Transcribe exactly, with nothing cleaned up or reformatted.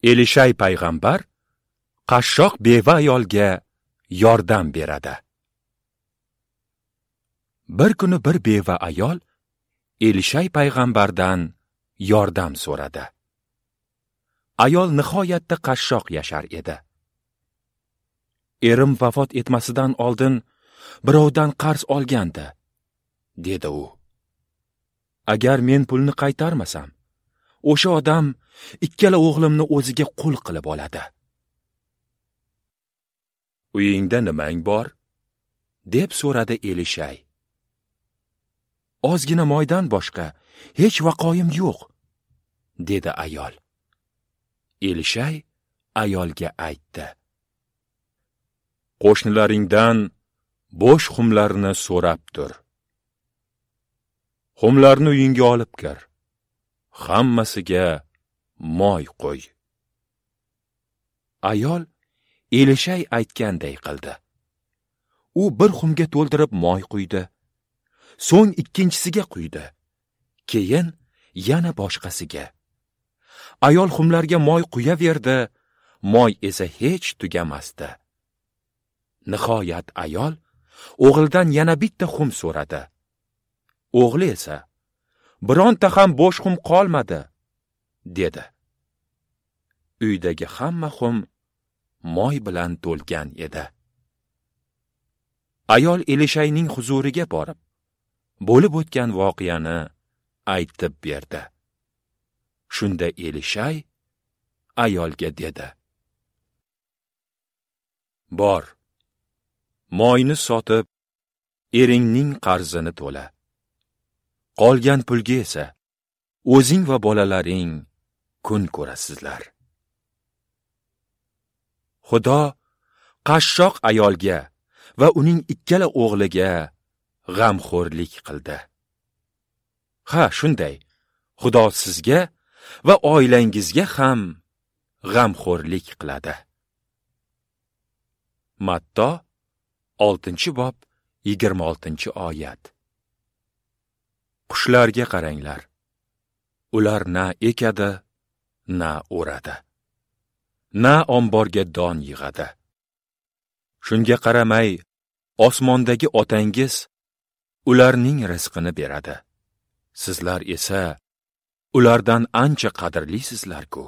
Elishay payg'ambar qashshoq beva ayolga yordam beradi. Bir kuni bir beva ayol Elishay payg'ambardan yordam so'radi. Ayol nihoyatda qashshoq yashar edi. Erim vafot etmasidan oldin birovdan qarz olgandi, dedi u. Agar men pulni qaytarmasam, o'sha odam ikkala o'g'limni o'ziga qul qilib oladi. Uyingda nimang bor? Deb so'radi Elishay. Ozgina moydan boshqa hech vaqoyim yo'q, dedi ayol. Elishay ayolga aytdi: Qo'shnilaringdan bo'sh xumlarni so'rab tur. Xumlarni uyingga olib kir. Hammasiga moy qo'y. Ayol Elishay aytganday qildi. U bir xumga to'ldirib moy quydi. So'ng ikkinchisiga quydi. Keyin yana boshqasiga. Ayol xumlarga moy quyaverdi, moy esa hech tugamasdi. Nihoyat ayol o'g'lidan yana bitta xum so'radi. O'g'li esa: "Bironta ham bo'sh xum qolmadi", dedi. Uydagi hamma xum moy bilan to'lgan edi. Ayol Elishayning huzuriga borib, bo'lib o'tgan voqeani aytib berdi. Shunda Elishay ayolga dedi: "Bor, moyni sotib, eringning qarzini to'la. Qolgan pulga esa o'zing va bolalaring kun ko'rasizlar." Xudo qashshoq ayolga va uning ikkala o'g'liga g'amxo'rlik qildi. Ha, shunday, Xudo sizga va oilangizga ham g'amxo'rlik qiladi. Matto oltinchi bob yigirma oltinchi oyat. Qushlarga qaranglar. Ular na ekadi, na o'radi, na omborga don yig'adi. Shunga qaramay, osmondagi otangiz ularning rizqini beradi. Sizlar esa ulardan ancha qadrlisizlar-ku.